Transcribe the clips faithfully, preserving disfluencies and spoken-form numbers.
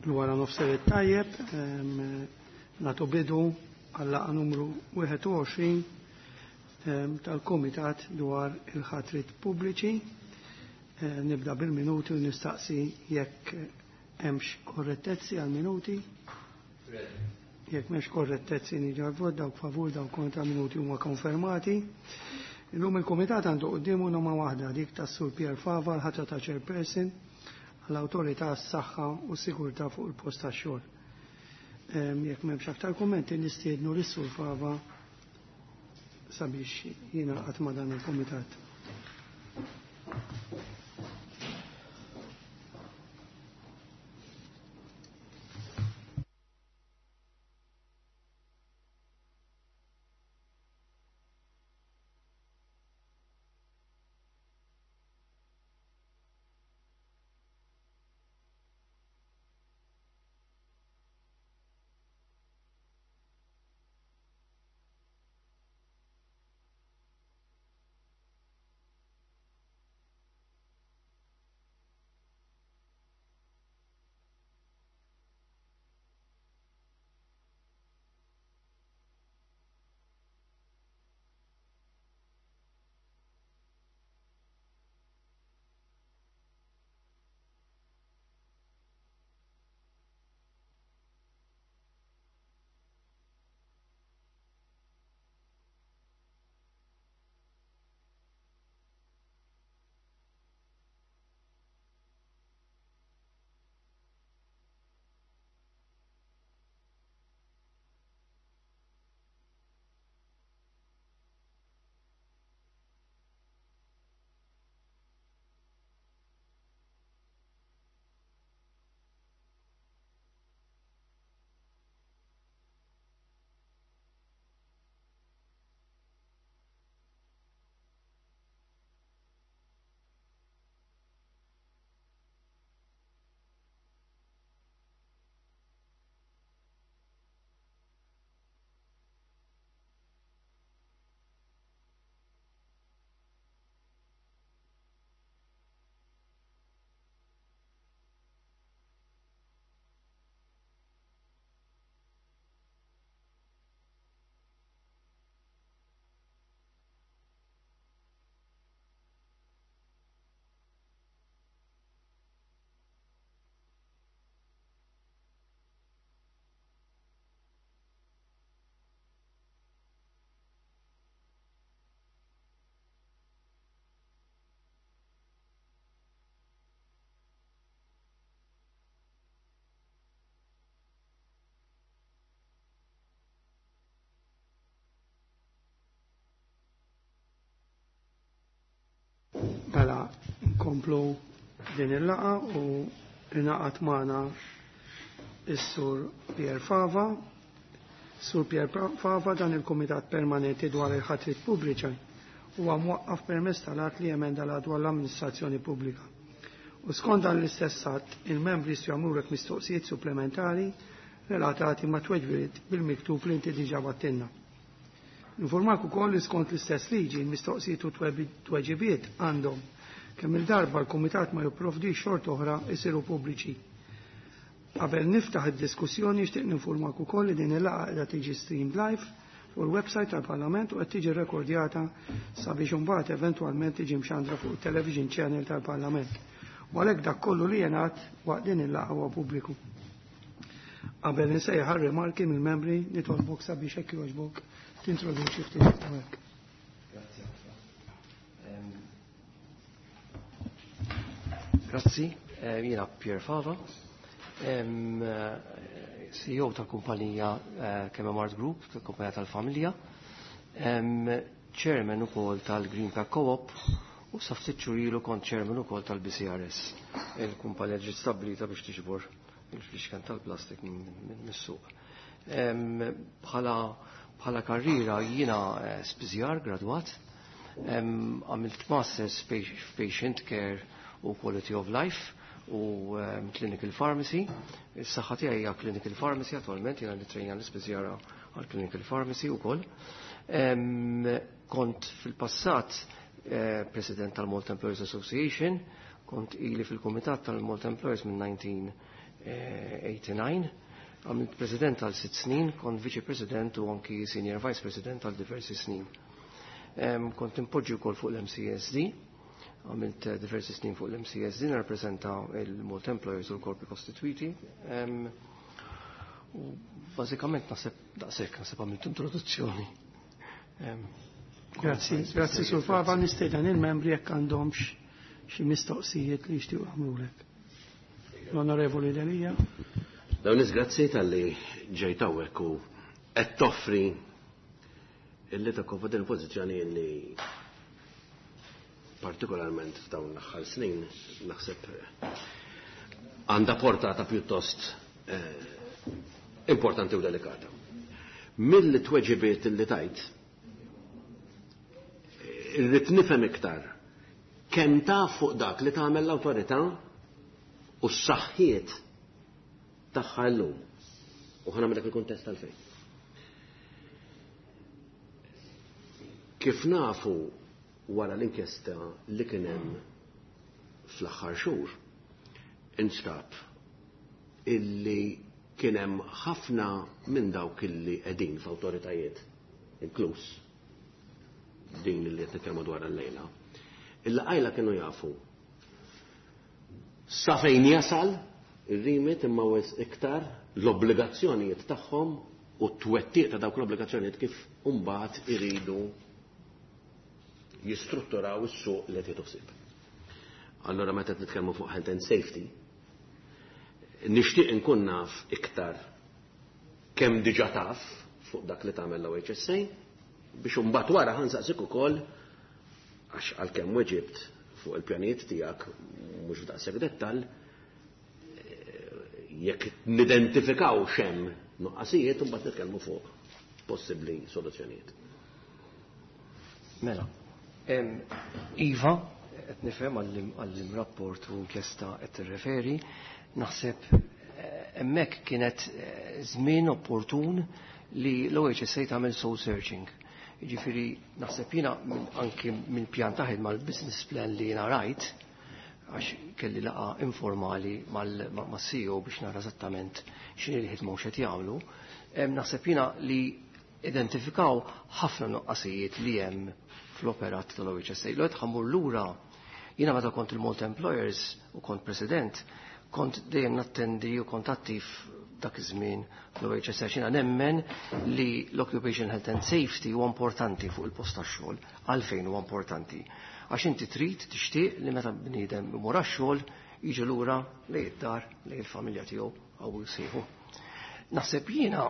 Wara nofser it-tajjeb, nagħtu bidu għal-laqgħa numru wieħed u għoxrin tal-Kumitat dwar il-ħatrit pubbliċi. Nibda bil-minuti u nistaqsi jekk hemmx korrettezzi għal-minuti. Jekk m'hemmx korrettezzi niġu għal-vot, dawk favur, dawk kontra, minuti huma konfermati. Illum il-Kumitat għandu quddiemu noma waħda, dik tas-Sur Pier Fava, l-ħatra ta' chairperson għall-Awtorità għas-Saħħa u Sigurtà fuq il-post tax-xogħol. Jekk m'hemmx aktar kummenti nistiednu lis-Sur Fava sabiex jingħaqad ma' dan il-Kumitat. Mela, nkomplu din il-laqa u ingħaqad magħna is-Sur Pier Fava. Sur Pier Fava dan il-Kumitat Permanenti dwar il-ħatrit pubbliċi huwa mwaqqaf permezz tal-att li emenda l dwar l-amministrazzjoni pubblika. U skont dan l-istess att, il-membri jistgħu jagħmlulek mistoqsijiet supplementari relatati ma' tweġbiet bil-miktub li inti diġà battilna. Informak ukoll li skont l-istess liġi l-mistoqsijiet u tweġibiet għandhom kemm il-darba l-Kumitat ma jipprovdix xort oħra jsiru pubbliċi. Qabel niftaħ id-diskussjoni nixtieq ninformak ukoll li din il-laqgħa qiegħda tiġi streamed live fuq il-website tal-Parlament u qed tiġi rekordjata sabiex imbagħad eventwalment tiġi mxandra fuq it-television channel tal-Parlament. U għalhekk dak kollu li jingħad waqt din il-laqgħa huwa pubbliku. Qabel insejjaħ rimarki mill-membri nitolbok sabiex hekk jogħġbok tintroduċi ftit hawnhekk. Grazzi ħafna. Grazzi, jiena Pier Fava, C E O tal-kumpanija Kememart Group, tal-kumpanija tal-familja, chairman ukoll tal-Green Pack Co-op u sa ftit xhur ilu kont chairman ukoll tal-B C R S, il-kumpanija ġiet stabbilita biex tiġbor il-fliexken tal-plastik mis-suq. Bħala Bħala karriera jiena spiżjar gradwat, għamilt masters f'patient care u quality of life u clinical pharmacy. Is-saħħa tiegħi hija clinical pharmacy attwalment, jiena nittrejna l-ispiżjara għal clinical pharmacy wkoll. Kont fil-passat president tal-Malta Employers Association, kont ili fil-kumitat tal-Malta Employers minn nineteen eighty-nine. Għamilt president għal sitt snin, kont viċi president u anki senior vice president għal diversi snin. Kont impoġġi wkoll fuq l-M C S D, għamilt diversi snin fuq l-M C S D, narrappreżenta il-Malta Employers u l-korpi kostituiti. U bażikament naħseb daqshekk naħseb għamilt introduzzjoni. Grazzi, grazzi Sur Fava, nistieden il-membri jekk għandhomx xi mistoqsijiet li jixtiequ jagħmlulek. L-Onorevoli Delia. Dawn grazzi tal-li ġejt hawnhekk u qed toffri illi takkopa din il-pożizzjoni illi partikolarment f'dawn l-aħħar snin naħseb għandha portata pjuttost eh, importanti u delikata. Mill-tweġibiet illi tajt, irrid nifhem iktar kemm taf fuq dak li tagħmel l-awtorità u s-saħħiet tagħha llum. U ħa nagħmel dak il-kuntest tal-fejn. Kif nafu wara l-inkjesta li kien hemm fl-aħħar xhur, instab illi kien hemm ħafna minn dawk illi qegħdin f'awtoritajiet, inkluż din li qed nitkellmu dwar llejla, illa qajla kienu jafu sa fejn jasal ir-rimit imma wis iktar l-obbligazzjonijiet tagħhom u t-twettiq ta' dawk l-obbligazzjonijiet kif imbagħad iridu jistrutturaw is-suq li qed jieħdu. Allora meta qed nitkellmu fuq health and safety, nixtieq inkun naf iktar kemm diġà taf fuq dak li tagħmel l-O H S A biex imbagħad wara ħansaqsik ukoll għax għalkemm weġibt fuq il-pjanijiet tiegħek mhux f'daqshekk dettall, jekk nidentifikaw x'hemm nuqqasijiet imbagħad nitkellmu fuq possibbli soluzzjonijiet. Mela, em, Iva, qed nifhem għall-im rapport u inkjesta qed tirreferi, naħseb, eh, hemmhekk kienet, eh, żmien opportun li l-O H S A tagħmel soul searching. Jiġifieri naħseb jiena minn, anki minn pjan ta' ħidma l-business plan li jiena rajt, għax kelli laqa informali mal-, ma-, mas-C E O biex nara eżattament x'inhi l-ħidma u x'qed jagħmlu, em, naħseb jiena li identifikaw ħafna nuqqasijiet li hemm fl-operat tal-O H S A. L-għed ħammur lura, jiena meta kont il-Malta Employers u kont president, kont dejjem nattendi u kont attiv dak iż-żmien fl-O H S A. Jiena nemmen li l-Occupation Health and Safety huwa importanti fuq il-post tax-xogħol. Għalfejn huwa importanti? Għax inti trid tixtieq li meta bniedem imur għax-xogħol jiġi lura lejn id-dar, lejn il-familja tiegħu għaw jsieħu. Naħseb jiena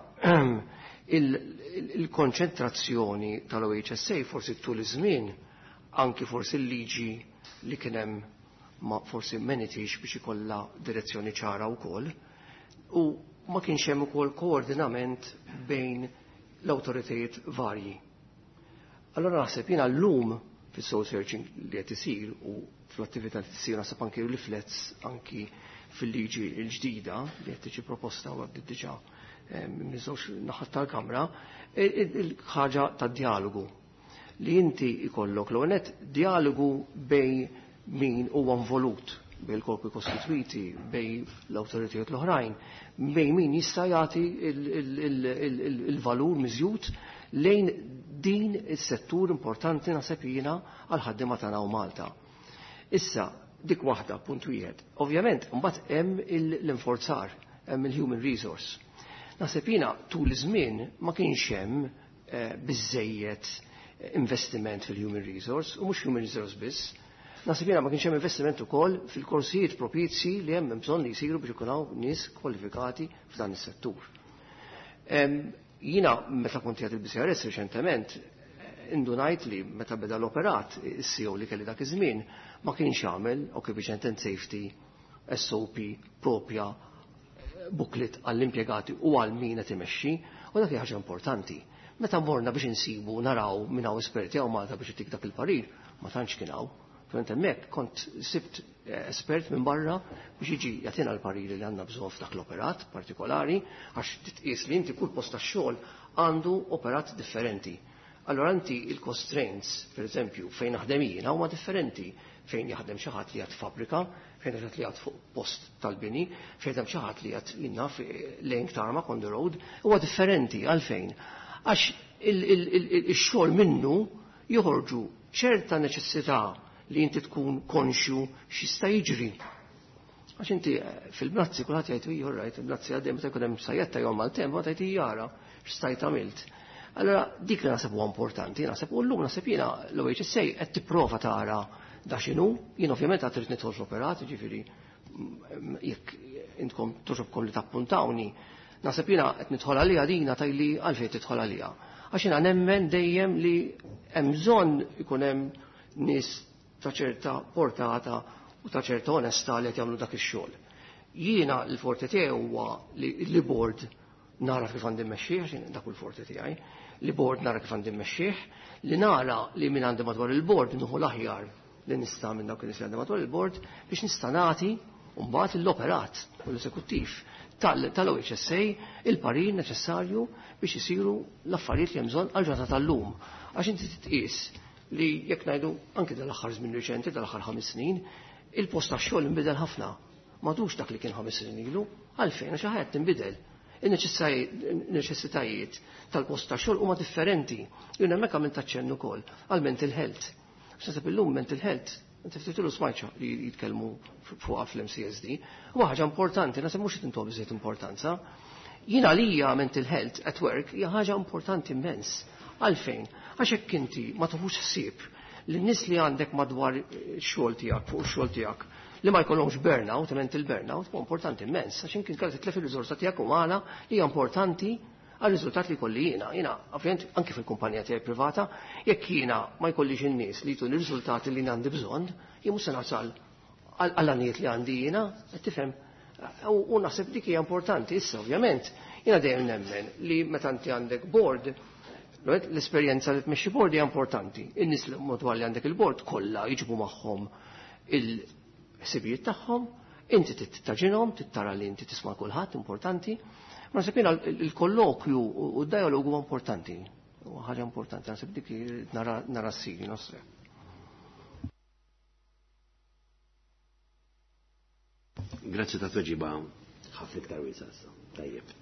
il-, il-, il-konċentrazzjoni tal-O H S A forsi tul iż-żmien, anki forsi l-liġi li kien hemm ma forsi menitix biex ikollha direzzjoni ċara wkoll, u ma kienx hemm ukoll koordinament bejn l-awtoritajiet varji. Allora naħseb jiena llum fis-soul searching li qed isir u fl-attività li tisir naħseb anki riflets anki fil-liġi l-ġdida li qed tiġi proposta u għaddiet diġà, eh, minn żewġ naħat tal-Kamra, il-, il-, il-ħaġa tad-dialogu li inti ikollok l-ewwel nett dialogu bejn min huwa involut, bejn il-korpi kostituiti, bejn l-awtoritajiet l-oħrajn, bejn min jista' jagħti il-, il-, il-, il-, il-, il-valur miżjud lejn din is-settur importanti naħseb jiena għall-ħaddiema tagħna u Malta. Issa, dik waħda, punt wieħed. Ovvjament, mbagħad hemm il-, l-inforzar, hemm il-human resource. Naħseb jiena tul iż-żmien ma kienx hemm, eh, biżejjed investiment fil-human resource, u mhux human resource biss. Naħseb jiena ma kienx hemm investiment ukoll fil-korsijiet propizji li hemm bżonn li jsiru biex ikun hawn nies kwalifikati f'dan is-settur. Em, jiena meta kont qiegħed il-B C R S riċentement, indunajt li meta beda l-operat, is-C E O li kelli dak iż-żmien ma kienx jagħmel Occupation and Safety S O P propja booklet għall-impjegati u għal min qed imexxi, u dak hija ħaġa importanti. Meta morna biex insibu naraw minn hawn esperti hawn Malta biex itik dak il-parir, ma tantx kien hawn. Fent hemmhekk kont sibt, eh, espert minn barra biex jiġi jagħtina l-pariri li għandna bżonn f'dak l-operat partikolari, għax titqies li inti kull post tax-xogħol għandu operat differenti. Allora inti il-constraints, per eżempju, fejn naħdem jiena huma differenti fejn jaħdem xi ħadd li qiegħed fabbrika, fejn xi ħadd li qiegħed fuq post tal-bini, fejn jaħdem xi ħadd li qiegħed jiena laying tarmac on the road, huwa differenti għalfejn. Għax ix-xogħol minnu joħorġu ċerta neċessità li inti tkun konxju x'jista' jiġri. Għax inti fil-bnazzi kulħadd jgħid iju rajt, il-bnazzi għaddej meta jkun hemm sajjetta jew maltemp, ma tgħid jara x'stajt għamilt. Allora dik li naħseb huwa importanti, naħseb u llum naħseb jiena l-O H S A qed tipprova tara da x'inhu, jien ovvjament għad trid nidħol fl-operat, jiġifieri jekk intkom togħġobkom li tappuntawni, naħseb jiena qed nidħol għalija dina tajli għalfejn tidħol għalija. Għax jiena nemmen dejjem li hemm bżonn ikun hemm nies ta' ċerta portata u ta' ċerta onestà li qed jagħmlu dak ix-xogħol. Jiena l-forte tiegħi huwa li board nara kif għandi mmexxih, għax dak hu l-forte tiegħi, li board nara kif għandi mmexxih, li nara li min għandi madwar il-board nieħu l-aħjar li nista' minn dawk li għandi madwar il-board biex nista' nagħti mbagħad l-operat u l-eżekuttiv tal-O H S A il-parir neċessarju biex isiru l-affarijiet li hemm bżonn għal-ġurnata tal-lum. Għax inti titqis li jekk ngħidu anke dal-aħħar żmien riċenti, dal-aħħar ħames snin, il-post tax-xogħol inbidel ħafna. M'għadux dak li kien ħames snin ilu, għalfejn? Għax ħajja tinbidel. Il-neċessitajiet tal-post tax-xogħol huma differenti. Jien hemmhekk għamilt aċċenn ukoll għal mental health. Naħseb illum mental health inti ftit ilu smajtx li jitkellmu fuqha fl-M C S D. Huwa ħaġa importanti, naħseb mhux tintuha biżejjed importanza. Jien għalija mental health at work hija ħaġa importanti immens. Għalfejn? Għax hekk inti ma tuħux ħsieb li n-nies li għandek madwar xogħol tiegħek, fuq ix-xogħol tiegħek, li ma jkollhomx burnout, mental burnout, huwa importanti immens, għax inti kellek titlef il-riżorsa tiegħek umana li hija importanti għal riżultat li jkolli jiena. Jiena, ovvjament, anke fil-kumpanija tiegħi privata, jekk jiena ma jkollix in-nies li jtuni riżultati li għandi bżonn, jien mhux se nasal għall-għanijiet li għandi jiena, qed tifhem. U naħseb dik hija importanti issa, ovvjament. Jiena dejjem nemmen li meta inti għandek board, l-esperjenza li tmexxi board hija importanti. In-nies li madwar li għandek il-board kollha jiġbu magħhom il-ħsibijiet tagħhom, inti tittaġinhom, tittara li inti tisma' kulħadd importanti. Ma naħseb jiena il-kollokju u d-dialogu huwa importanti. Huwa ħaġa importanti, naħseb dik nara nara ssir, naħseb. Grazzi ta' tweġiba ħafna iktar wiesgħa issa. Tajjeb.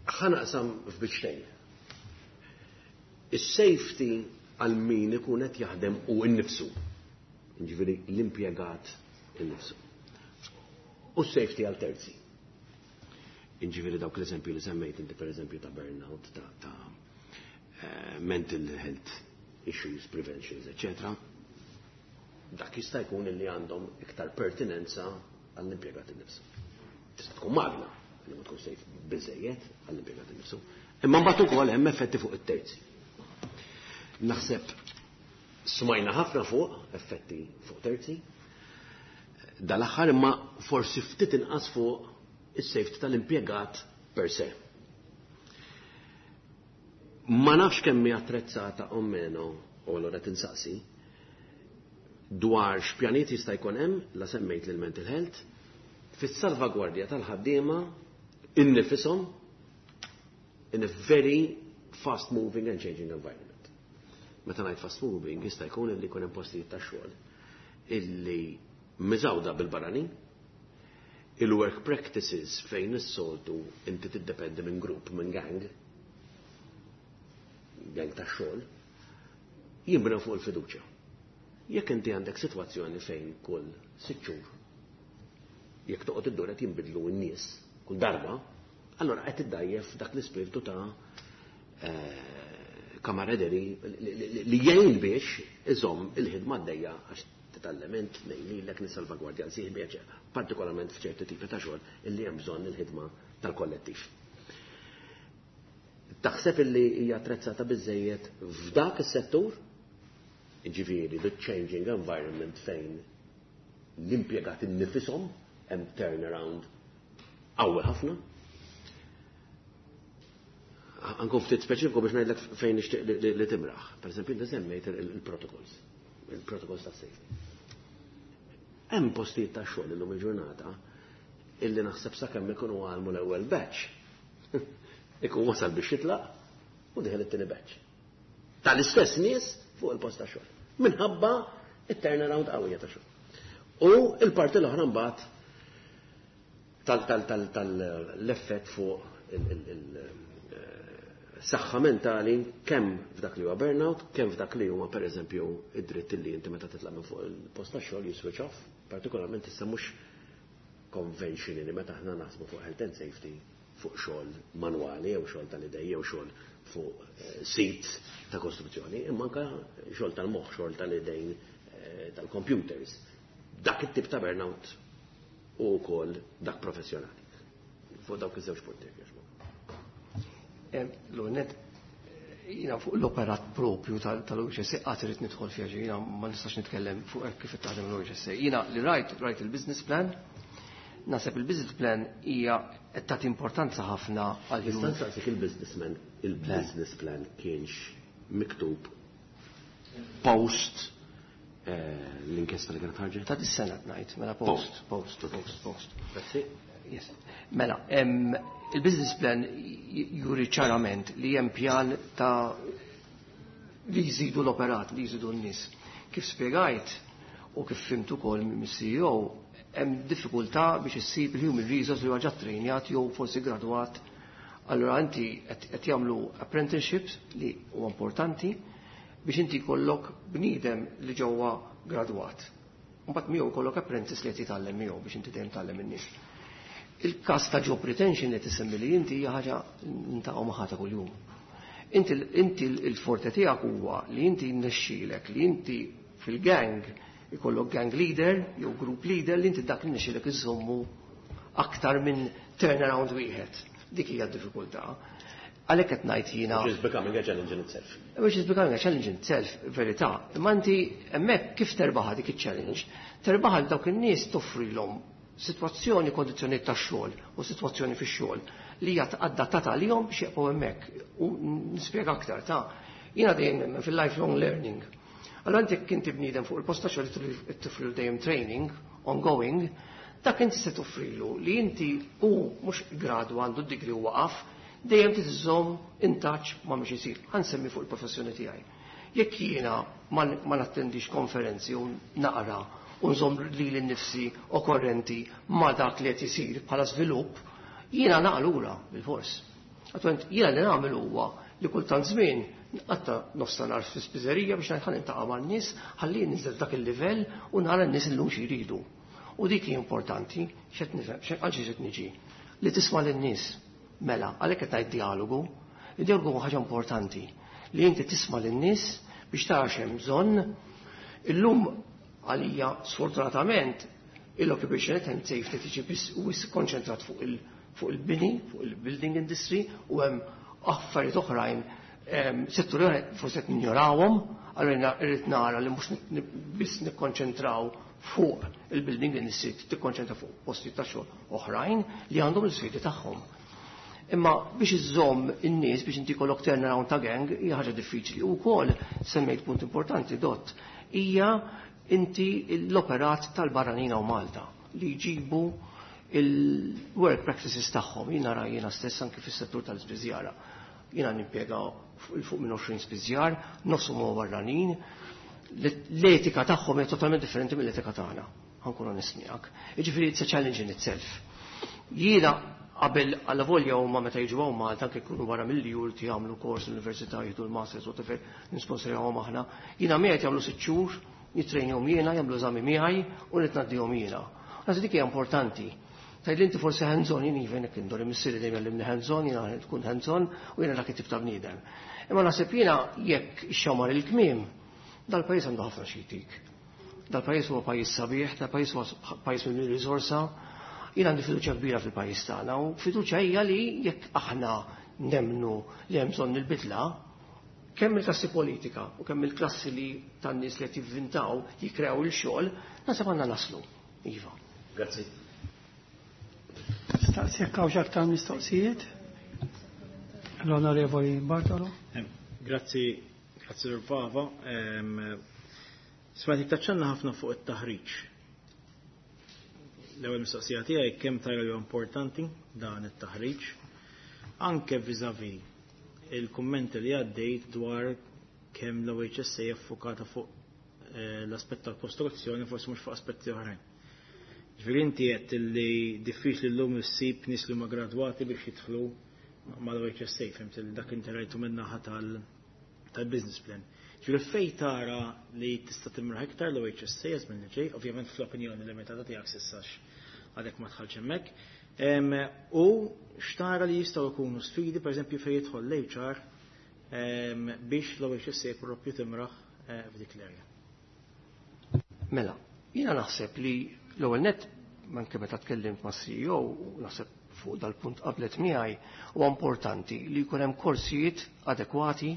Ħa naqsam f'biċċtejn. Is-safety għal min ikun qed jaħdem u nnifsu. Ġifieri l-impjegat innifsu. U s-safety għal terzi. Ġifieri dawk l-eżempju li semmejt inti, per eżempju, ta' burnout, ta', ta uh, mental health issues, preventions, eccetera. Dak jista' jkun li għandhom iktar pertinenza għall-impjegat innifsu. Tista' tkun magna li ma tkun safe biżejjed għall-impjegat innifsu. Imma mbagħad ukoll hemm effetti fuq it-terzi. Naħseb smajna ħafna fuq effetti fuq terzi. Dal-aħħar imma forsi ftit inqas fuq is-safety tal-impjegat per se. Ma nafx kemm hija attrezzata o meno, u allura tinsaqsi, dwar x'pjaniet jista' jkun hemm, la semmejt lil mental health, fis-salvagwardja tal-ħaddiema innifisom in a very fast moving and changing environment. Meta ngħid fast moving, jista' jkun li jkun hemm postijiet ta' xogħol illi miżgħuda bil-barranin, il-work practices fejn is-soltu inti tiddependi minn grupp, minn gang, gang ta' xogħol, jinbnew fuq il-fiduċja. Jekk inti għandek sitwazzjoni fejn kull sitt xhur jekk toqgħod iddur qed jinbidlu n-nies kull darba, allora qed iddajjef dak l-ispirtu ta' eh, camaraderie li jgħin biex iżomm il-ħidma għaddejja, għax titgħallem int lilek, nissalvagwardja l-sieħbi, partikolarment f'ċerti tipi ta' xogħol illi hemm bżonn il-ħidma tal-kollettiv. Taħseb illi hija attrezzata biżejjed f'dak is-settur, ġifieri the changing environment fejn l-impjegati nnifisom hemm turnaround qawwi ħafna? Ankun ftit speċifiku biex ngħidlek fejn nixtieq li timraħ. Per eżempju, inti semmejt il-protocols, il-protocols ta' safety. Hemm postijiet ta' xogħol illum il-ġurnata illi naħseb sakemm ikunu għallmu l-ewwel batch, ikun wasal biex jitlaq. U dieħel it-tieni batch. Tal-istess nies fuq il-post ta' xogħol. Minħabba it-turnaround qawwija ta' xogħol. U il-parti l-oħra mbagħad tal-effett fuq il-saħħa mentali kemm f'dak li huwa burnout, kemm f'dak li huwa pereżempju id-dritt li inti meta titlaq minn fuq il-post ta' xogħol you switch off, partikolarment issa mhux conventionally meta aħna naħsbu fuq health and safety fuq xogħol manwali jew xogħol tal-idej jew xogħol fuq sit ta' kostruzzjoni, imma anke xogħol tal-moħħ, xogħol tal-idejn tal-computers. Dak it-tip ta' burnout u wkoll dak professjonali. Fuq dawk iż-żewġ punti. L-għonet, jiena fuq l-operat propju tal-O H S A qatt irid nidħol fiha, jiena ma nistax nitkellem fuq hekk kif taħdem l-O H S A. Jiena li rajt, rajt il-business plan, naħseb il-business plan hija qed tagħti importanza ħafna għal Nista' nsaqsik il-businessman, il-business plan kienx miktub post l-inkjesta li kienet ħarġet? Ta' dis-sena ngħid, mela post, post, post, post. Grazzi. Yes. Mela, il-business plan juri ċarament li hemm pjan ta' li jżidu l-operat, li jżidu n-nies. Kif spiegajt u kif fhimt ukoll mis-C E O, hemm diffikultà biex issib il-human resource li huwa ġa trejnjat jew forsi gradwat. Allura inti qed jagħmlu apprenticeships li huwa importanti biex inti jkollok bniedem li ġewwa gradwat. Mbagħad miegħu jkollok apprentice li qed jitgħallem miegħu biex inti dejjem tgħallem in-nies. Il-każ ta' job retention li tisemmi li inti hija ħaġa niltaqgħu magħha ta' kuljum. Inti inti il-forte tiegħek huwa li inti nnexxielek li inti fil-gang ikollok gang leader jew group leader li inti dak li nnexxielek iżommu aktar minn turnaround wieħed. Dik hija d-diffikultà. Għalhekk qed ngħid jiena. Which is becoming a challenge in itself. Which is becoming a challenge in itself, verità. Imma inti hemmhekk kif terbaħa dik iċ-challenge? Terbaħa dawk in-nies toffrilhom sitwazzjoni, kondizzjonijiet tax-xogħol u sitwazzjoni fix-xogħol li hija adattata għalihom biex jibqgħu hemmhekk. U nispjega aktar ta' jiena dejjem nemmen fil-lifelong learning. Allora inti jekk inti bniedem fuq il-post ta' xogħol toffrilu dejjem training ongoing, dak inti se toffrilu li inti u mhux gradu għandu d-degree u waqaf, dejjem tiżżomm in touch ma' mhux isir. Ħa nsemmi fuq il-professjoni tiegħi. Jekk jiena ma nattendix konferenzi u naqra u nżomm lili nnifsi okkorrenti ma' dak li qed isir bħala żvilupp, jiena naqlura bil-fors. Attualment jiena li nagħmel huwa li kultant żmien nqatta' nofs ta' nhar fi spiżerija biex ngħid ħa niltaqa' man-nies, ħalli ninżel dak il-livell u nara n-nies illum xi jridu. U dik hi importanti, x'qed nifhem, għal xi qed niġi. Li tisma' lin-nies. Mela, għalhekk qed ngħid dialogu. Id-dialogu huwa ħaġa importanti li inti tisma' lin-nies biex tara x'hemm bżonn. Illum għalija sfortunatament il-occupation health and safety tiġi biss u konċentrat fuq il fuq il-bini, fuq il-building industry u hemm affarijiet oħrajn, setturi oħrajn forsi qed ninjorawhom, allura irrid nara li mhux biss nikkonċentraw fuq il-building industry, tikkonċentra fuq postijiet ta' xogħol oħrajn li għandhom l-isfidi tagħhom. Imma biex iżżomm in-nies biex inti jkollok turnaround ta' gang hija ħaġa diffiċli. U wkoll semmejt punt importanti dot hija inti l-operat tal-barranin u Malta li jġibu il-work practices tagħhom. Jien nara jiena stess anke fis-settur tal-ispiżjara. Jiena nimpjega fuq minn għoxrin spiżjar, nofshom huma barranin. L-etika tagħhom hija totalment differenti mill-etika tagħna. Ħa nkun onest miegħek. Jiġifieri it's a challenge in itself. Jiena qabel għalla volja huma meta jiġu hawn Malta anke jkunu barra mill-jur jagħmlu kors l-università, jieħdu l-masters, whatever, nisponsorjawhom aħna. Jiena miegħed jagħmlu sitt xhur, jitrejnjhom jiena, jagħmlu eżami miegħi u nitnaddihom jiena. Naħseb dik hija importanti. Tgħid li inti forsi hands-on, jien even jekk indori missieri dejjem jgħallimni hands-on, jiena tkun hands-on u jiena dak it-tip ta' bniedem. Imma naħseb jiena jekk ixxamar il-kmiem, dal-pajjiż għandu ħafna xi jtik. Dal-pajjiż huwa pajjiż sabiħ, dal-pajjiż huwa pajjiż minn riżorsa. Jien għandi fiduċja kbira fil-pajjiż tagħna u fiduċja hija li jekk aħna nemnu li hemm bżonn il-bidla, kemm il-klassi politika u kemm il-klassi li tan-nies li qed jivvintaw, jikkrew il-xogħol, naħseb għandna naslu. Iva. Grazzi. Staqsi jekk hawnx aktar mistoqsijiet. L-Onorevoli Bartolo. Grazzi, grazzi Fava. Smajtek taċċenna ħafna fuq it-taħriġ. L-ewwel mistoqsija tiegħi, kemm tara li importanti dan it-taħriġ anke vis-à-vis il-kummenti li għaddejt dwar kemm l-O H S A effokata fuq eh, l-aspett tal-kostruzzjoni, forsi mhux fuq aspetti oħrajn. Ġifieri inti qed li diffiċli llum issib nies li huma gradwati biex jidħlu mal-O H S A, fhimt li dak inti rajtu min-naħa tal-business plan. Ġifieri fej tara li tista' timraħ iktar l-O H S A żmien li ġej, ovvjament fl-opinjoni limitata tiegħek s'issa, għadek ma dħalx hemmhekk. U xtara li jistgħu jkunu sfidi, pereżempju, fejn jidħol l-H R biex l-O H S A propju timraħ eh, f'dik l-area? Mela, jiena naħseb li l-ewwel net, anke meta tkellimt ma' C E O, naħseb fuq dal-punt qablet miegħi, huwa importanti li jkun hemm korsijiet adekwati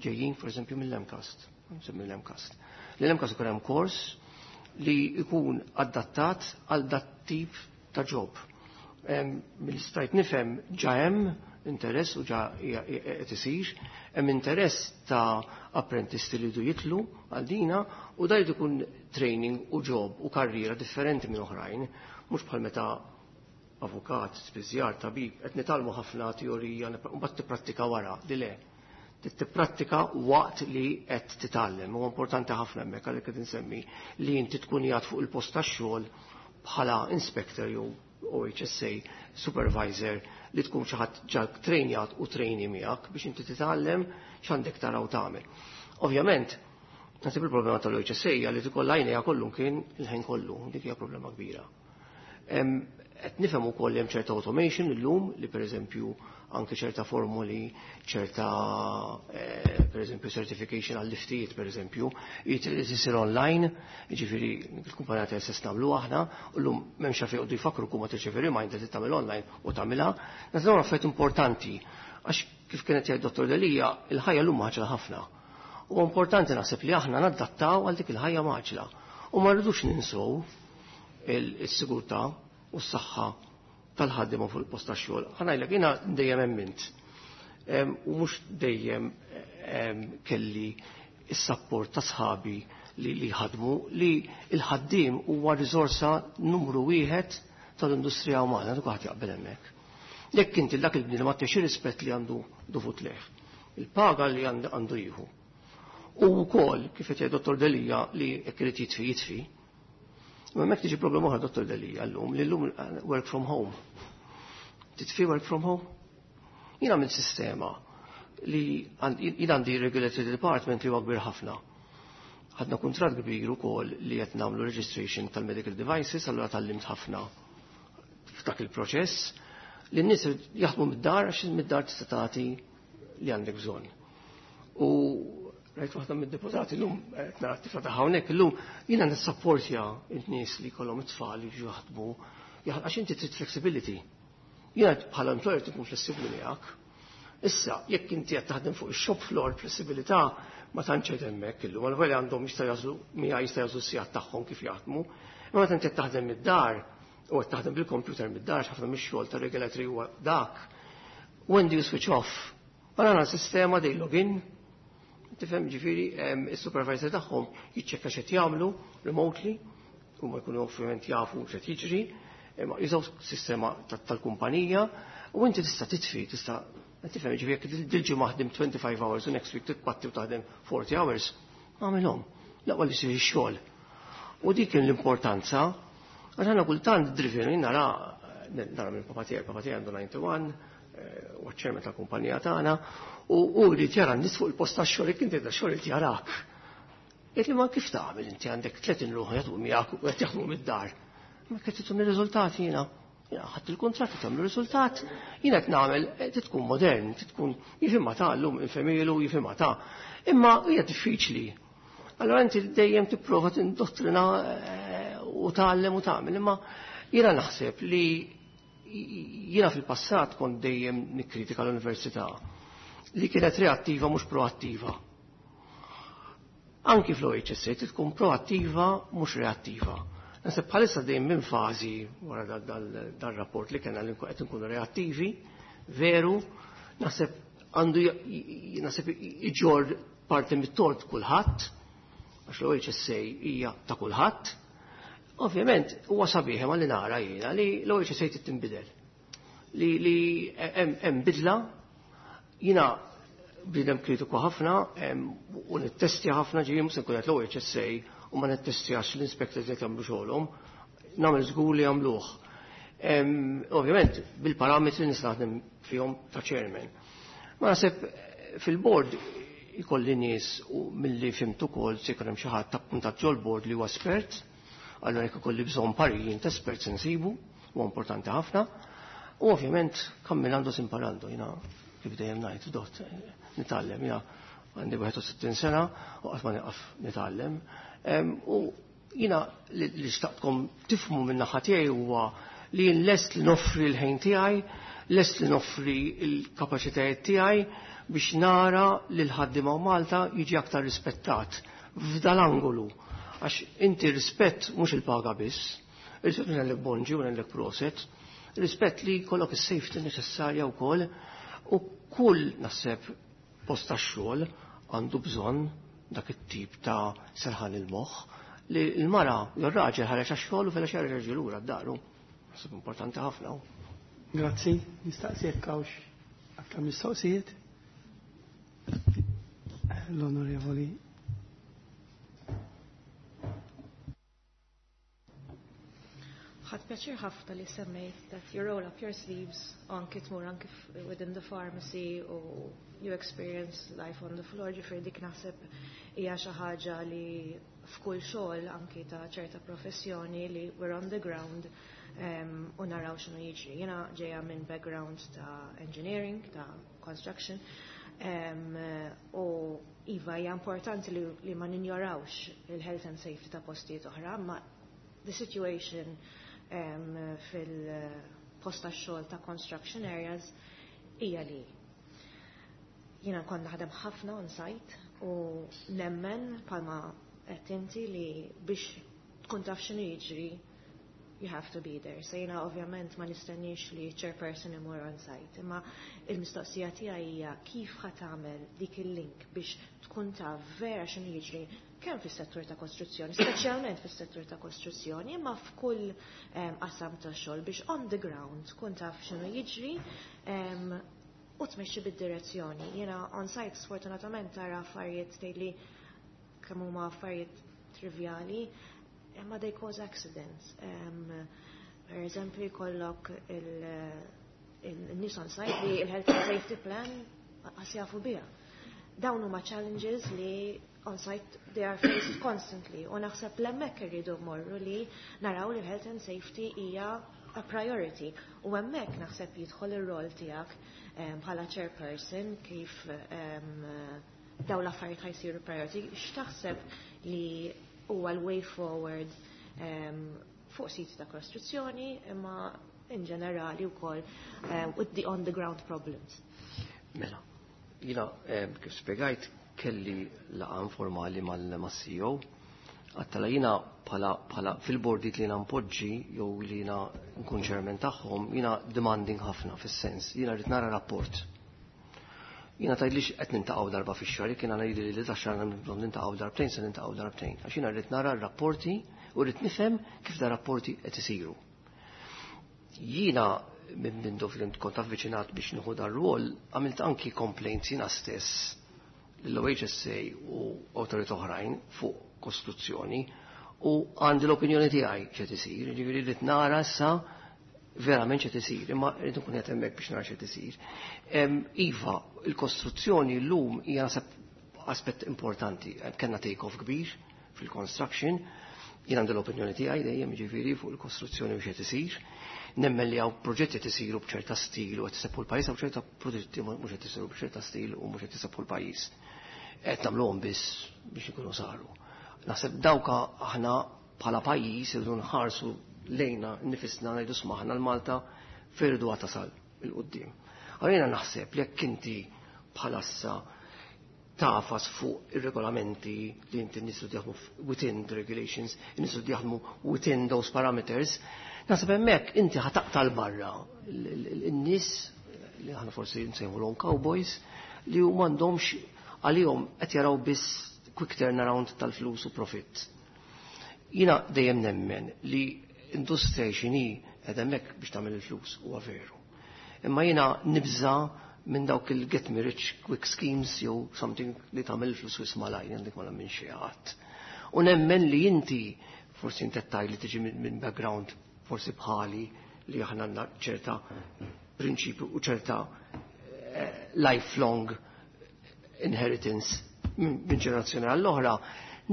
ġejjin, pereżempju, mill-M CAST. Mill-M CAST. L-M CAST ikun hemm kors li jkun adattat għal dat tip ta' job. Mill-stajt nifhem ġa hemm interess u ġa qed isir, hemm interess ta' apprentisti li jdu jitlu għal dina u da jkun training u job u karriera differenti minn oħrajn, mhux bħal meta avukat, spiżjar, tabib, qed nitgħallmu ħafna teorija u mbagħad tipprattika wara, di le. Tipprattika waqt li qed titgħallem. Huwa importanti ħafna hemmhekk, għalhekk qed insemmi li inti tkun qiegħed fuq il-post tax-xogħol bħala inspector jew O H S A supervisor, li tkun xi ħadd ġa trejnjat u trainee miegħek biex inti titgħallem x'għandek tara u tagħmel. Ovvjament, naħseb il-problema tal-O H S A hija li tkollha għajnejha kollu kien il-ħin kollu, dik hija problema kbira. Qed nifhem ukoll hemm ċerta automation illum li, pereżempju, anke ċerta formuli, ċerta eh, pereżempju certification għall-liftijiet, pereżempju, jisir online, jiġifieri il-kumpanija ta' stess nagħmlu aħna, u llum m'hemmx għalfejn joqogħdu jfakru kuma tirċevi reminder li tagħmel online u tagħmilha. Naħseb affarijiet importanti għax, kif kienet jgħid Dottor Delia, il-ħajja llum mgħaġġla ħafna. U importanti naħseb li aħna nadattaw għal dik il-ħajja mgħaġġla. U ma rridux ninsow il-sigurtà u s-saħħa tal-ħaddiema fuq il-post tax-xogħol. Ħa ngħidlek, jiena dejjem emmint. U mhux dejjem kelli is-support ta' sħabi li li ħadmu li il-ħaddiem huwa riżorsa numru wieħed tal-industrija umana, dak ħadd jaqbel hemmhekk. Jekk inti dak il-bniedem ma xi rispett li għandu dovut leh, il-paga li għandu jieħu. U wkoll, kif qed jgħid Dottor Delia, li jekk irid jitfi jitfi. Ma hemmhekk tiġi problema oħra, Dottor Delia, llum li llum work from home. Titfi work from home? Jiena minn sistema li jien għandi regulatory department li huwa kbir ħafna. Ħadna kuntratt kbir ukoll li qed nagħmlu registration tal-medical devices, allura tgħallimt ħafna f'dak il-proċess li n-nies jaħdmu mid-dar għax mid-dar tista' tagħti li għandek bżonn. U rajt waħda mid-deputati llum, qed nara t-tifla ta' hawnhekk illum, jiena nissapportja n-nies li jkollhom it-tfal li jiġu jaħdmu għax inti trid flexibility. Jiena bħala employer tkun flessibbli miegħek. Issa, jekk inti qed taħdem fuq ix-shop floor, flessibilità ma tantx qed hemmhekk illum, għal għandhom jista' jażlu miegħi, jista' jażlu s-sigħat tagħhom kif jaħdmu. Imma meta inti qed taħdem mid-dar u qed taħdem bil-computer mid-dar, ħafna mix-xogħol ta' regulatory huwa dak. When do you switch off? Għandna sistema they login, tifhem, ġifieri is-supervisor tagħhom jiċċekka x'qed jagħmlu remotely, u ma jkunu ovvjament jafu x'qed jiġri, imma jużaw sistema tal-kumpanija u inti tista' titfi, tista' tifhem, ġifieri jekk dil-ġimgħa ħdim twenty-five hours u next week titpatti u taħdem forty hours, għamilhom. L-aqwa li jsir ix-xogħol. U dik kien l-importanza, għax aħna kultant driven, jien nara nara minn papa tiegħi, papa tiegħi għandu disgħa u disgħin, u ċ-chairman tal-kumpanija tagħna, u jrid jara n-nies fuq il-post tax-xogħol, jekk inti xogħol irid jarak. Jgħid li ma kif tagħmel inti għandek tletin ruħ jagħtu miegħek u qed jaħdmu mid-dar? Ma qed titun ir-riżultati jiena. Jiena ħadd il-kuntratt tagħmlu riżultat, jiena qed nagħmel, tkun modern, tkun jifhimha ta' llum infemilu jifhimha ta'. Imma hija diffiċli. Allora inti dejjem tipprova tindottrina u tgħallem u tagħmel, imma jiena naħseb li jiena fil-passat kont dejjem nikkritika l-università li kienet reattiva, mhux proattiva. Anki fl-O H S A tkun proattiva, mhux reattiva. Naħseb bħalissa dejjem minn fażi wara dal-rapport li kena li qed nkunu reattivi, veru, naħseb għandu naħseb iġorr parti mit-tort kulħadd, għax l-O H S A hija ta' kulħadd. Ovvjament, huwa sabiħ ma li nara jiena li l-O H S A trid tinbidel. Li li hemm bidla, jiena bniedem kritiku ħafna u nittestja ħafna, ġifieri mhux se nkun qed l-O H S A u ma nittestjax l-inspectors qed jagħmlu xogħolhom, nagħmel żgur li jagħmluh. Ovvjament, bil-parametri nista' naħdem fihom ta' chairman. Ma naħseb fil-board ikolli nies u milli fhimt ukoll se jkun hemm xi ħadd appuntat ġol-board li huwa espert, allura jekk ikolli bżonn parir ta' espert se nsibu, huwa importanti ħafna. U ovvjament camminando si imparando, jiena kif dejjem ngħid, dott nitgħallem, jiena għandi wieħed u sittin sena u qatt ma nieqaf nitgħallem. U jiena li xtaqtkom tifhmu minn naħa tiegħi huwa li jien lest li noffri l-ħin tiegħi, lest li noffri l-kapaċitajiet tiegħi biex nara li l-ħaddiema u Malta jiġi aktar rispettat f'dal-angolu. Għax inti rispett mhux il-paga biss, rispett ngħidlek bonġi u ngħidlek proset, rispett li jkollok is-safety neċessarja wkoll u kull naħseb post tax-xogħol għandu bżonn dak it-tip ta' serħan il-moħħ li l-mara jew r-raġel ħareġ għax-xogħol u filgħaxija reġa' lura d-daru. Naħseb importanti ħafna. Grazzi, nistaqsi jekk hawnx aktar mistoqsijiet. L-Onorevoli. Ħadt pjaċir ħafna li semmejt that you roll up your sleeves anki tmur anki within the pharmacy u you experience life on the floor, ġifieri dik naħseb hija xi ħaġa li f'kull xogħol anki ta' ċerta professjoni li we're on the ground um, u naraw x'inhu jiġri. Jiena ġejja minn background ta' engineering, ta' construction, um, u iva hija importanti li, li ma ninjorawx il-health and safety ta' postijiet oħra, ma the situation um, fil-post ta' xogħol ta' construction areas hija li jiena kont naħdem ħafna on site u nemmen bħalma qed inti li biex tkun taf x'inhu jiġri, you have to be there. So jiena ovvjament ma nistenniex li chairperson imur on site. Imma il-mistoqsija tiegħi hija kif ħa tagħmel dik il-link biex tkun taf vera x'inhu jiġri kemm fis-settur ta' kostruzzjoni, speċjalment fis-settur ta' kostruzzjoni, imma f'kull qasam ta' xogħol biex on the ground tkun taf x'inhu jiġri um, u tmexxi bid-direzzjoni. Jiena on site sfortunatament tara affarijiet tgħidli kemm huma affarijiet trivjali, imma they cause accidents. Um, per eżempju, jkollok il-nies on site li il-health and safety plan qas jafu biha. Dawn huma challenges li on site they are faced constantly u naħseb l-hemmhekk irridu mmorru li naraw li health and safety hija a priority u hemmhekk naħseb jidħol ir-rol tiegħek bħala chairperson kif um, daw l-affarijiet ħa jsiru priority. X'taħseb li huwa l-way forward um, fuq siti ta' kostruzzjoni imma in ġenerali wkoll um, with the on the ground problems? Mela, jiena kif spiegajt kelli laqgħa informali mal-C E O. Għedtilha jiena bħala, bħala fil-bordijiet li jiena npoġġi jew li jiena nkun chairman tagħhom, jiena demanding ħafna fis-sens, jiena rrid nara rapport. Jiena tgħidlix qed niltaqgħu darba fix-xahar, jekk jiena ngħidli li tax-xahar bżonn niltaqgħu darbtejn, se niltaqgħu darbtejn. Għax jiena rrid nara r-rapporti u rrid nifhem kif da rapporti qed isiru. Jiena minn mindu fil kont avviċinat biex nieħu dar-rwol, għamilt anki complaints jiena stess l-O H S A u awtorità oħrajn fuq kostruzzjoni u għandi l-opinjoni tiegħi x'qed isir, ġifieri rrid nara issa verament x'qed isir, imma rrid nkun qed hemmhekk biex nara x'qed isir. Iva, il-kostruzzjoni llum hija naħseb aspett importanti. Kellna take-off kbir fil-construction, jien għandi l-opinjoni tiegħi dejjem ġifieri fuq il-kostruzzjoni u x'qed isir. Nemmen li hawn proġetti qed isiru b'ċerta stil u qed isebbħu l-pajjiż, hawn ċerta proġetti mhux qed isiru b'ċerta stil u mhux qed isebbħu l-pajjiż. Qed nagħmluhom biss biex ikunu saru. Naħseb dawka aħna bħala pajjiż irridu nħarsu lejna nfusna, ngħidu smaħna l-Malta fejn irridu tasal 'il quddiem. Għalina naħseb li jekk inti bħalassa tagħfas fuq ir-regolamenti li inti nies jaħdmu within the regulations, nies jaħdmu within those parameters, naħseb hemmhekk inti ħa taqta' 'l barra in-nies li aħna forsi nsejħulhom cowboys li huma m'għandhomx għalihom, qed jaraw biss quick turnaround tal-flus u profit. Jiena dejjem nemmen li industrija x'inhi qed hemmhekk biex tagħmel il-flus, huwa veru. Imma jiena nibża minn dawk il-get me rich quick schemes jew something li tagħmel flus wisq malajr, għandek ma minn xi ħadd. U nemmen li inti forsi inti li tiġi minn background forsi bħali li aħna għandna ċerta prinċipju u ċerta eh, lifelong inheritance minn ġenerazzjoni għall-oħra,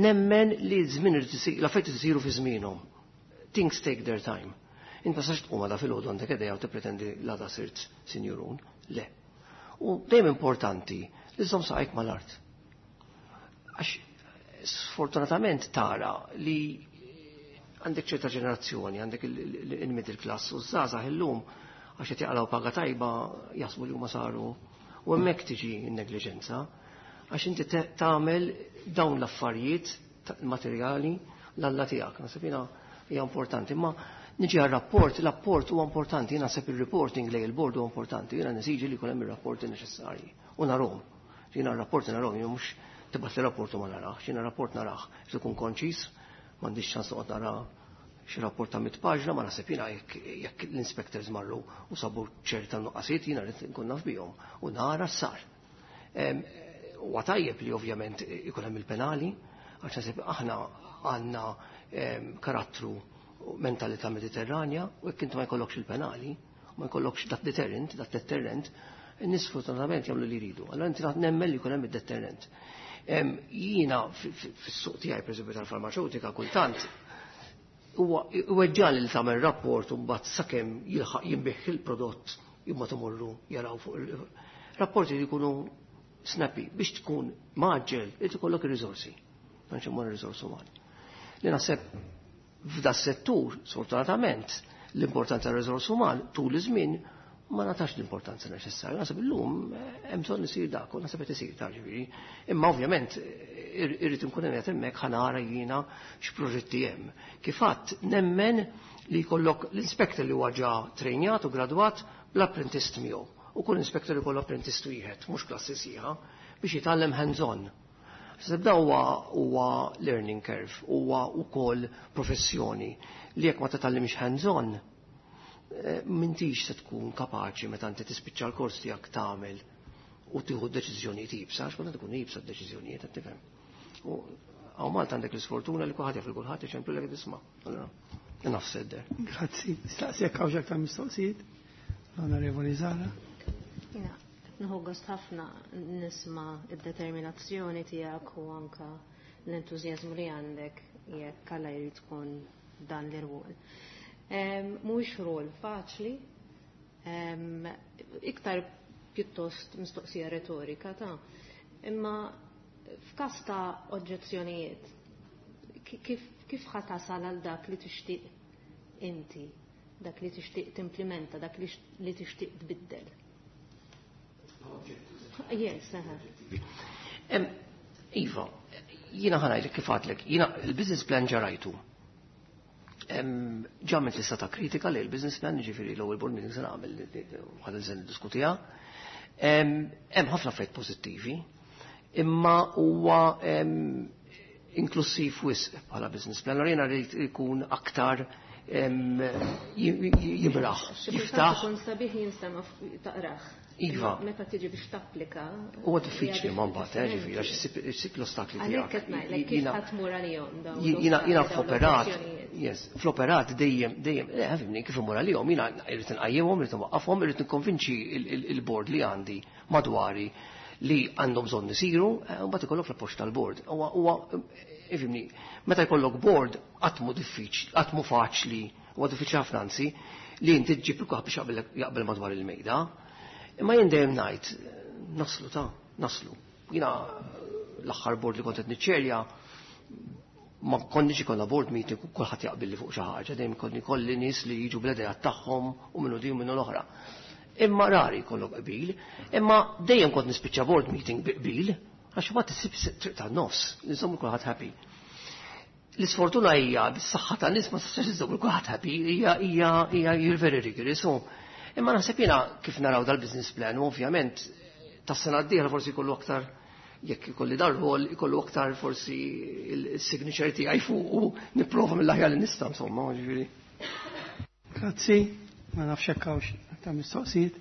nemmen li żmien l-affarijiet isiru fi żmienhom. Things take their time. Inta sax tqum għada filgħodu għandek idea u tippretendi l-għada sirt sinjurun. Le. U dejjem importanti li żomm saqajk mal-art. Għax sfortunatament tara li għandek ċerta ġenerazzjoni, għandek il-middle class u żgħażagħ illum għax qed jaqalgħu paga tajba jaħsbu li huma saru u hemmhekk tiġi n-negliġenza għax inti tagħmel dawn l-affarijiet materjali l-alla tiegħek. Naħseb jiena hija importanti, imma niġi għal-rapport, l-rapport huwa importanti, jiena naħseb il-reporting lejn il-board huwa importanti, jiena nesiġi li jkun hemm ir-rapporti neċessarji u narahom. Jiena r-rapporti narahom, jien mhux tibgħat li rapport u ma narax, jiena rapport narah, ikun konċis, m'għandix ċans noqgħod nara xi rapport ta' mit paġna, ma naħseb jiena jekk l-inspectors marru u sabu ċerta nuqqasiet jiena rrid nkun naf bihom u nara sar. Huwa tajjeb li ovvjament ikun hemm il-penali, għax naħseb aħna għandna karattru mentalità mediterranja u jekk inti ma jkollokx il-penali, ma jkollokx dat deterrent, dat deterrent, in-nies fortunatament jagħmlu li jridu. Allora inti nemmen li jkun hemm id-deterrent. Jiena fis-suq tiegħi pereżempju tal-farmaceutika kultant huwa weġġali li tagħmel rapport u mbagħad sakemm jilħaq jinbih il-prodott imma tmorru jaraw fuq il-rapporti li jkunu snappy biex tkun mgħaġġel irid ikollok ir-riżorsi. Dan xi riżorsi umani. Li naħseb f'da settur, sfortunatament, l-importanza tar-riżors uman tul iż-żmien ma natax l-importanza neċessarja. Naħseb illum hemm bżonn isir dak, u naħseb qed isir ta' ġifieri. Imma ovvjament irrid inkun qed hemmhekk ħa nara jiena x'proġetti hemm. Kif għadt nemmen li jkollok l-inspector li huwa ġa trejnjat u gradwat bl-apprentist miegħu. U kull inspector jkollu apprentist wieħed, mhux klassi sħiħa, biex jitgħallem hands-on. Sebda huwa huwa learning curve, huwa wkoll professjoni li jekk ma titgħallimx hands-on, m'intix se tkun kapaċi meta inti tispiċċa l-kors tiegħek tagħmel u tieħu deċiżjonijiet iebsa, għax meta tkun iebsa d-deċiżjonijiet qed tifhem. U hawn Malta għandek l-isfortuna li kulħadd jaf il kulħadd iċemplu lek tisma'. Allora, enough said there. Grazzi. Staqsi jekk hawn aktar mistoqsijiet. L-Onorevoli Zara. Jiena, nieħu gost ħafna nisma' id-determinazzjoni tiegħek u anka l-entużjażmu li għandek jekk Alla jrid tkun dan l-irwol. Mhuwiex rol faċli, iktar pjuttost mistoqsija retorika ta' imma f'każ ta' oġġezzjonijiet kif kif ħa tasal għal dak li tixtieq inti, dak li tixtieq timplementa, dak li tixtieq tbiddel? Yes, aha. Iva, jiena ħa ngħidlek kif għedtlek, jiena il-business plan ġa rajtu. Ġa għamilt lista ta' kritika li l-business plan, ġifieri l-ewwel board meeting se nagħmel ħa niddiskutiha. Hemm ħafna affarijiet pożittivi, imma huwa inklusiv wisq bħala business plan. Allora jiena rrid ikun aktar jimraħ, jiftaħ. Ikun sabiħ jinstema' taqrah. Iva. Meta tiġi biex tapplika. Huwa diffiċli ma mbagħad, eh, ġifieri, għax issib l-ostakli tiegħek. Għalhekk qed ngħidlek kif ħa tmur għalihom dawn. Jiena jiena fl-operat, yes, fl-operat dejjem dejjem, le fhimni kif imur għalihom, jiena irrid inqajjimhom, irrid inwaqqafhom, irrid nikkonvinċi il-board li għandi madwari li għandhom bżonn isiru, u mbagħad ikollok l-appoġġ tal-board. Huwa ifhimni, meta jkollok board qatt mhu diffiċli, qatt mhu faċli, huwa diffiċli ħafna anzi, li inti ġġib il biex jaqbel madwar il-mejda. Imma jien dejjem ngħid, naslu ta' naslu. Jiena l-aħħar board li kont qed niċċerja ma konniex ikollna board meeting u kulħadd jaqbel li fuq xi ħaġa, dejjem konni kolli nies li jiġu bl-idea tagħhom u minnu di u minnu l-oħra. Imma rari jkollok qbil, imma dejjem kont nispiċċa board meeting bi qbil, għax ma tisib triq tan-nofs, nżommu kulħadd happy. L-isfortuna hija bis-saħħa tan-nies ma tistax iżżomm kulħadd happy, hija hija hija you're very rigorous. Imma naħseb jiena kif naraw dal-business plan, u ovvjament tas-sena d-dieħla forsi jkollu aktar jekk ikolli dar-rol ikollu aktar forsi il-signature tiegħi fuq u nipprova mill-aħjar li nista' insomma, ġifieri. Grazzi, ma nafx hekk hawnx aktar mistoqsijiet.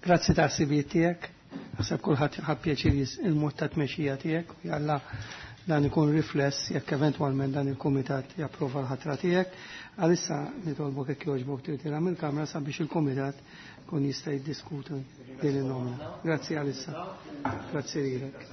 Grazzi ta' ħsibijiet tiegħek. Naħseb kulħadd ħa pjaċir il-mod ta' tmexxija tiegħek u jalla dan ikun rifless jekk eventwalment dan il-kumitat japprova l-ħatra tiegħek. Għalissa nitolbok jekk jogħġbok tirtira mill-Kamra sabiex il-kumitat kun jista' jiddiskuti din il-nomina. Grazzi għalissa. Grazzi lilek.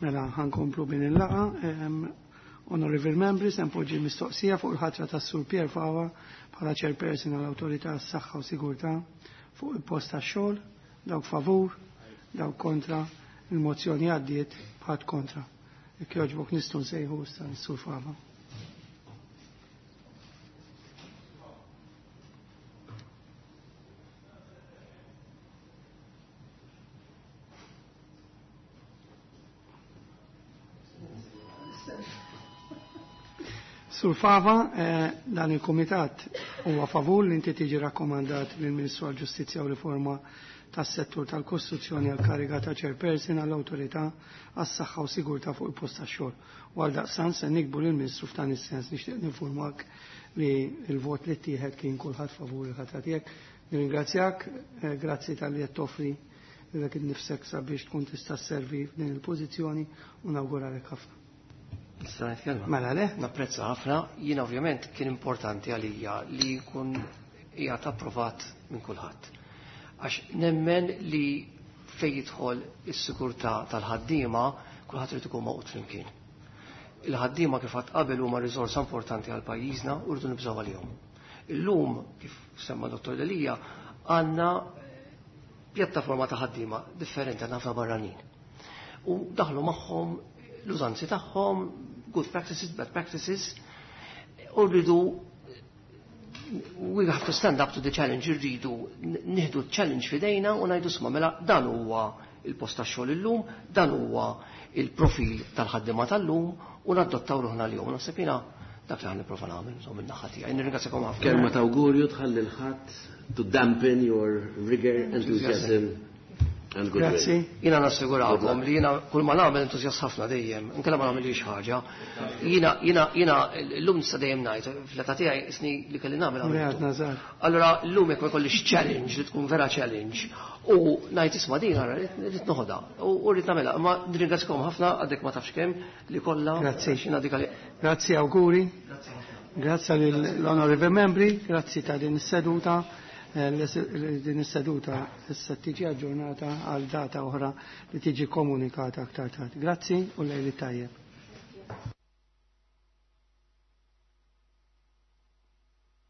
Mela ħankomplu bin il-laqa. Honorable Members, npoġġi mistoqsija fuq il-ħatra tas-Sur Pier Fava bħala chairperson għall-Awtorità għas-Saħħa u Sigurtà fuq il-post tax-xogħol, dawk favur, dawk kontra, il-mozzjoni għaddiet bħad kontra. Jekk jogħġbok nistgħu nsejħu issa s-Sur Fava. Sur Fava, eh, dan il-Kumitat huwa favur li inti tiġi rakkomandat lill-Ministru għall-Ġustizzja u Riforma tas-settur tal-Kostruzzjoni għal kariga ta' chairperson għall-Awtorità għas-Saħħa u Sigurtà fuq il-post tax-xogħol. U għaldaqstant se nikbu lill-Ministru f'dan is-sens nixtieq ninfurmak li l-vot li ttieħed kien kulħadd favur il-ħatra tiegħek. Nirringrazzjak, eh, grazzi talli qed toffri lilek innifsek sabiex tkun tista' sservi f'din il-pożizzjoni u nawguralek ħafna. Nista' nitkellem? Mela le? Napprezza ħafna. Jien ovvjament kien importanti għalija li jkun qiegħed approvat minn kulħadd. Għax nemmen li fejn jidħol is-sigurtà tal-ħaddiema kulħadd irid ikun maqut flimkien. Il-ħaddiema kif għad qabel huma riżorsa importanti għal pajjiżna u rridu nibżgħu għalihom. Illum, kif semma Dottor Delia, għandna pjattaforma ta' ħaddiema differenti għandna ħafna barranin. U daħlu magħhom l-użanzi tagħhom, good practices, bad practices, u rridu we have to stand up to the challenge, rridu nieħdu challenge fidejna u ngħidu sma mela dan huwa il-post tax-xogħol illum, dan huwa il-profil tal-ħaddiema tal-lum u nadottaw ruħna l-jum. Naħseb jiena dak li ħan nipprova nagħmel, insomma min-naħa tiegħi. Nirringrazzjakom ħafna. Kelma ta' awgurju tħalli l-ħadd to dampen your rigor, enthusiasm and good will. Grazzi. Jiena nassigurakom li jiena kull ma nagħmel entużjast ħafna dejjem, inkella ma nagħmilx ħaġa. Jiena jiena jiena llum nista' dejjem ngħid fl-età tiegħi isni li kelli nagħmel Mreat għamiltu. Nazar. Allora llum jekk ma jkollix challenge li tkun vera challenge u ngħid isma' din ara rrid noħodha u rrid nagħmilha, imma nirringrazzjakom ħafna għadek ma tafx kemm li kollha Grazzi. xina dik għalli. Grazzi auguri. Grazzi lill-onorevoli membri, grazzi ta' din is-seduta. Eh, Din is-seduta issa tiġi aġġornata għal data oħra li tiġi komunikata aktar tard. Grazzi u lejli tajjeb.